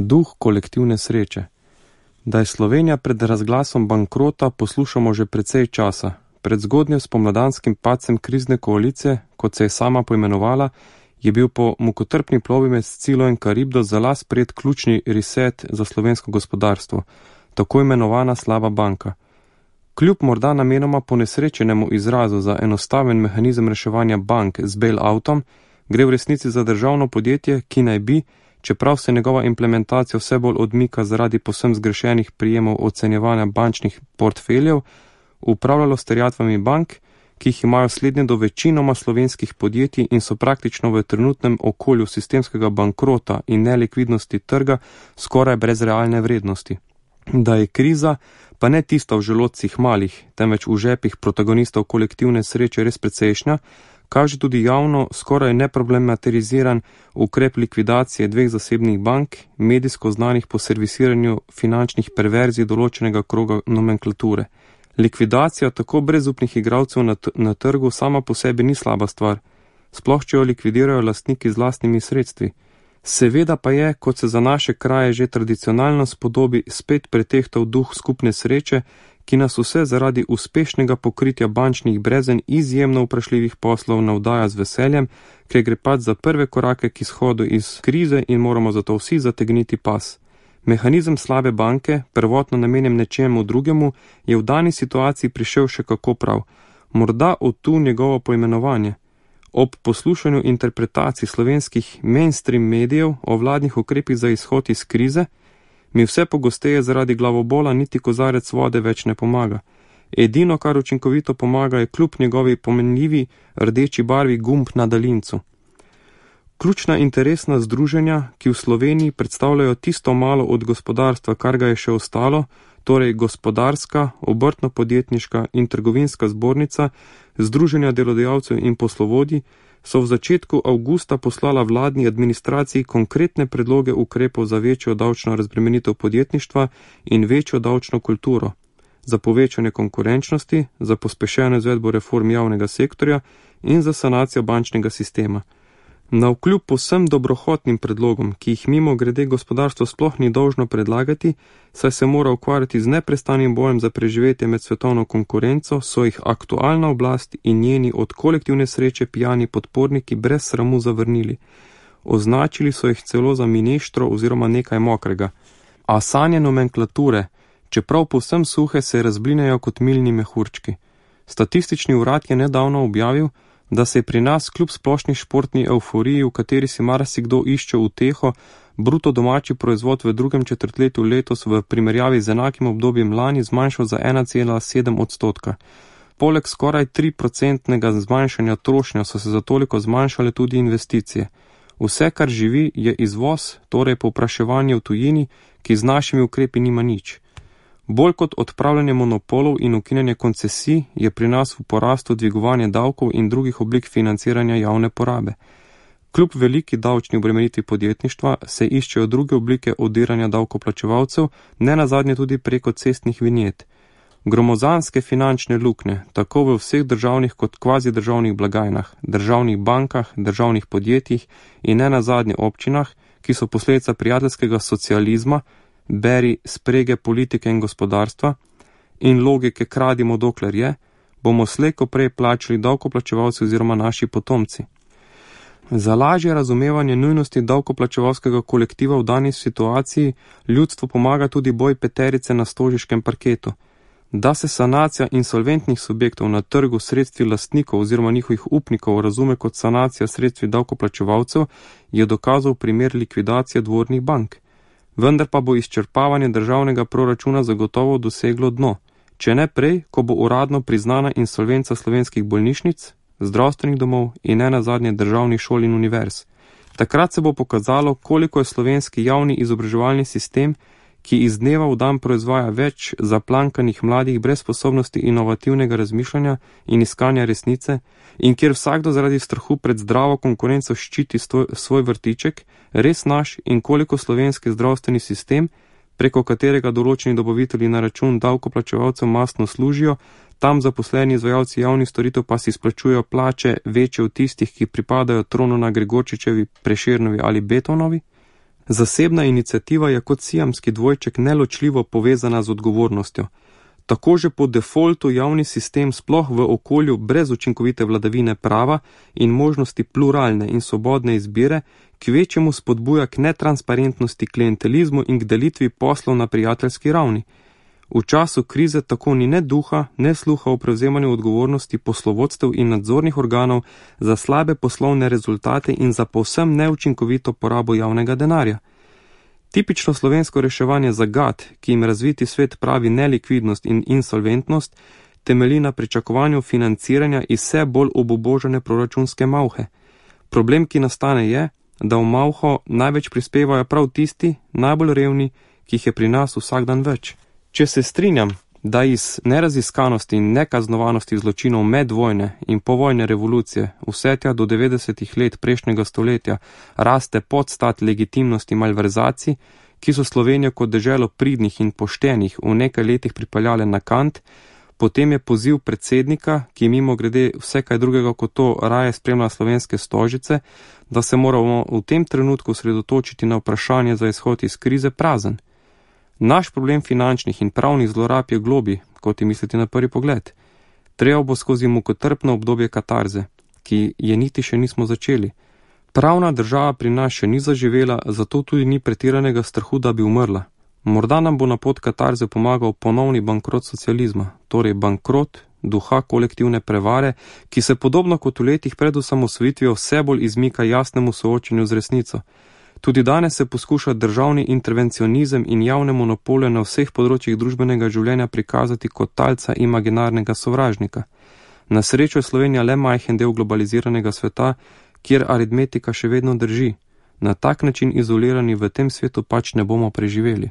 Duh kolektivne sreče. Da je Slovenija pred razglasom bankrota, poslušamo že precej časa. Pred zgodnjo spomladanskim padcem krizne koalicije, kot se je sama poimenovala, je bil po mukotrpni plovbi med Scilo in Karibdo za las sprejet ključni reset za slovensko gospodarstvo, tako imenovana slaba banka. Kljub morda namenoma ponesrečenemu izrazu za enostaven mehanizem reševanja bank z bail-outom, gre v resnici za državno podjetje, ki naj bi, čeprav se njegova implementacija vse bolj odmika zaradi povsem zgrešenih prijemov ocenjevanja bančnih portfeljev, upravljalo s terjatvami bank, ki jih imajo slednje do večinoma slovenskih podjetij in so praktično v trenutnem okolju sistemskega bankrota in nelikvidnosti trga skoraj brez realne vrednosti. Da je kriza, pa ne tista v želodcih malih, temveč v žepih protagonistov kolektivne sreče res precejšnja, kaže tudi javno skoraj neproblematiziran ukrep likvidacije dveh zasebnih bank, medijsko znanih po servisiranju finančnih perverzij določenega kroga nomenklature. Likvidacija tako brezupnih igralcev na trgu sama po sebi ni slaba stvar, sploh če jo likvidirajo lastniki z lastnimi sredstvi. Seveda pa je, kot se za naše kraje že tradicionalno spodobi, spet pretehtal duh skupne sreče, ki nas vse zaradi uspešnega pokritja bančnih brezen izjemno vprašljivih poslov navdaja z veseljem, ker gre pač za prve korake k izhodu iz krize in moramo zato vsi zategniti pas. Mehanizem slabe banke, prvotno namenjen nečemu drugemu, je v dani situaciji prišel še kako prav. Morda od tu njegovo poimenovanje. Ob poslušanju interpretacij slovenskih mainstream medijev o vladnih ukrepih za izhod iz krize, mi vse pogosteje zaradi glavobola niti kozarec vode več ne pomaga. Edino, kar učinkovito pomaga, je kljub njegovi pomenljivi rdeči barvi gumb na daljincu. Ključna interesna združenja, ki v Sloveniji predstavljajo tisto malo od gospodarstva, kar ga je še ostalo, torej gospodarska, obrtno-podjetniška in trgovinska zbornica, združenja delodajalcev in poslovodij, so v začetku avgusta poslala vladni administraciji konkretne predloge ukrepov za večjo davčno razbremenitev podjetništva in večjo davčno kulturo, za povečanje konkurenčnosti, za pospešeno izvedbo reform javnega sektorja in za sanacijo bančnega sistema. Navkljub povsem dobrohotnim predlogom, ki jih mimo grede gospodarstvo sploh ni dolžno predlagati, saj se mora ukvarjati z neprestanim bojem za preživetje med svetovno konkurenco, so jih aktualna oblast in njeni od kolektivne sreče pijani podporniki brez sramu zavrnili. Označili so jih celo za mineštro oziroma nekaj mokrega. A sanje nomenklature, čeprav povsem suhe, se razblinejo kot milni mehurčki. Statistični urad je nedavno objavil, da se je pri nas kljub splošni športni evforiji, v kateri si marsikdo išče uteho, bruto domači proizvod v drugem četrtletju letos v primerjavi z enakim obdobjem lani zmanjšal za 1,7%. Poleg skoraj 3% zmanjšanja trošnja so se za toliko zmanjšale tudi investicije. Vse, kar živi, je izvoz, torej povpraševanje v tujini, ki z našimi ukrepi nima nič. Bolj kot odpravljanje monopolov in ukinjanje koncesij je pri nas v porastu dvigovanje davkov in drugih oblik financiranja javne porabe. Kljub veliki davčni obremenitvi podjetništva se iščejo druge oblike odiranja davkoplačevalcev, ne nazadnje tudi preko cestnih vinjet. Gromozanske finančne luknje, tako v vseh državnih kot kvazi državnih blagajnah, državnih bankah, državnih podjetjih in ne nazadnje občinah, ki so posledica prijateljskega socializma, beri sprege politike in gospodarstva in logike kradimo dokler je, bomo slejko prej plačali davkoplačevalci oziroma naši potomci. Za lažje razumevanje nujnosti davkoplačevalskega kolektiva v dani situaciji ljudstvo pomaga tudi boj peterice na stožiškem parketu. Da se sanacija insolventnih subjektov na trgu sredstvi lastnikov oziroma njihovih upnikov razume kot sanacija sredstvi davkoplačevalcev, je dokazal primer likvidacije dvornih bank. Vendar pa bo izčrpavanje državnega proračuna zagotovo doseglo dno, če ne prej, ko bo uradno priznana insolvenca slovenskih bolnišnic, zdravstvenih domov in ne nazadnje državnih šol in univerz. Takrat se bo pokazalo, koliko je slovenski javni izobraževalni sistem, ki iz dneva v dan proizvaja več zaplankanih mladih brez sposobnosti inovativnega razmišljanja in iskanja resnice in kjer vsakdo zaradi strahu pred zdravo konkurenco ščiti svoj vrtiček, res naš in koliko slovenski zdravstveni sistem, preko katerega določeni dobavitelji na račun davkoplačevalcev mastno služijo, tam zaposleni izvajalci javnih storitev pa si izplačujejo plače večje od tistih, ki pripadajo tronu na Gregorčičevi, Prešernovi ali Beethovnovi. Zasebna iniciativa je kot siamski dvojček neločljivo povezana z odgovornostjo. Tako že po defaultu javni sistem sploh v okolju brez učinkovite vladavine prava in možnosti pluralne in svobodne izbire kvečjemu spodbuja k netransparentnosti, klientelizmu in k delitvi poslov na prijateljski ravni. V času krize tako ni ne duha, ne sluha o prevzemanju odgovornosti poslovodstev in nadzornih organov za slabe poslovne rezultate in za povsem neučinkovito porabo javnega denarja. Tipično slovensko reševanje zagat, ki jim razviti svet pravi nelikvidnost in insolventnost, temelji na pričakovanju financiranja iz vse bolj obubožane proračunske malhe. Problem, ki nastane je, da v malho največ prispevajo prav tisti, najbolj revni, ki jih je pri nas vsak dan več. Če se strinjam, da iz neraziskanosti in nekaznovanosti zločinov medvojne in povojne revolucije vse tja do 90. let prejšnjega stoletja raste podstat legitimnosti malverzacij, ki so Slovenijo kot deželo pridnih in poštenih v nekaj letih pripeljale na kant, potem je poziv predsednika, ki mimo grede vse kaj drugega kot to raje spremlja slovenske stožice, da se moramo v tem trenutku sredotočiti na vprašanje za izhod iz krize, prazen. Naš problem finančnih in pravnih zlorab je globi, kot je misliti na prvi pogled. Treba bo skozi mukotrpno obdobje katarze, ki je niti še nismo začeli. Pravna država pri nas še ni zaživela, zato tudi ni pretiranega strahu, da bi umrla. Morda nam bo na pot katarze pomagal ponovni bankrot socializma, torej bankrot duha kolektivne prevare, ki se podobno kot v letih pred osamosvojitvijo vse bolj izmika jasnemu soočenju z resnico. Tudi danes se poskuša državni intervencionizem in javne monopole na vseh področjih družbenega življenja prikazati kot talca imaginarnega sovražnika. Na srečo je Slovenija le majhen del globaliziranega sveta, kjer aritmetika še vedno drži. Na tak način izolirani v tem svetu pač ne bomo preživeli.